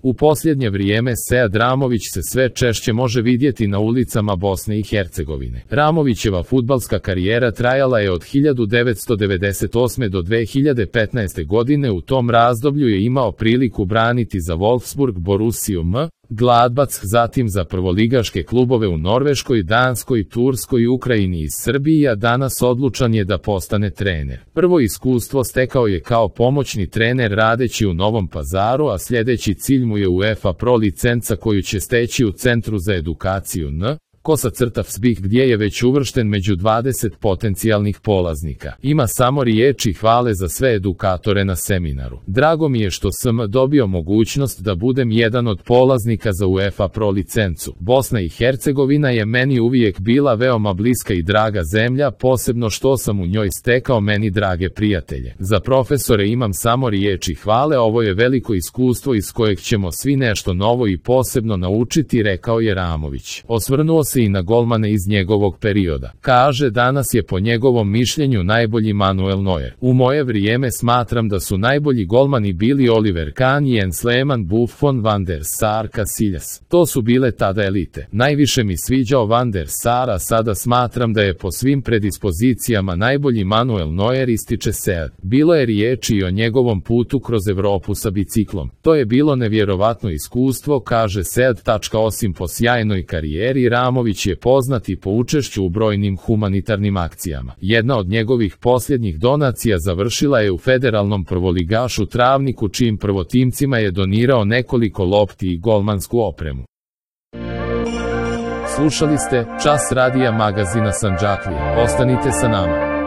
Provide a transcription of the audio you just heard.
U posljednje vrijeme Sead Ramović se sve češće može vidjeti na ulicama Bosne i Hercegovine. Ramovićeva fudbalska karijera trajala je od 1998. do 2015. godine. U tom razdoblju je imao priliku braniti za Wolfsburg, Borussiju Gladbac, zatim za prvoligaške klubove u Norveškoj, Danskoj, Turskoj, Ukrajini i Srbiji, a danas odlučan je da postane trener. Prvo iskustvo stekao je kao pomoćni trener radeći u Novom Pazaru, a sljedeći cilj mu je UEFA Pro licenca koju će steći u Centru za edukaciju Kosa-Fsbih, gdje je već uvršten među 20 potencijalnih polaznika. Ima samo riječi hvale za sve edukatore na seminaru. Drago mi je što sam dobio mogućnost da budem jedan od polaznika za UEFA Pro licencu. Bosna i Hercegovina je meni uvijek bila veoma bliska i draga zemlja, posebno što sam u njoj stekao meni drage prijatelje. Za profesore imam samo riječi hvale, ovo je veliko iskustvo iz kojeg ćemo svi nešto novo i posebno naučiti, rekao je Ramović. Osvrnuo se i na golmane iz njegovog perioda. Kaže, danas je po njegovom mišljenju najbolji Manuel Neuer. U moje vrijeme smatram da su najbolji golmani bili Oliver Kahn, Jens Lehmann, Buffon, Van der Sar, Casillas. To su bile tada elite. Najviše mi sviđao Van der Sar, a sada smatram da je po svim predispozicijama najbolji Manuel Neuer, ističe Sead. Bilo je riječi i o njegovom putu kroz Evropu sa biciklom. To je bilo nevjerovatno iskustvo, kaže Sead. Osim po sjajnoj karijeri, Ramović je poznat i po učešću u brojnim humanitarnim akcijama. Jedna od njegovih posljednjih donacija završila je u federalnom prvoligašu Travniku, čijim prvotimcima je donirao nekoliko lopti i golmansku opremu. Slušali ste Čas radija magazina Sandžaklije. Ostanite sa nama.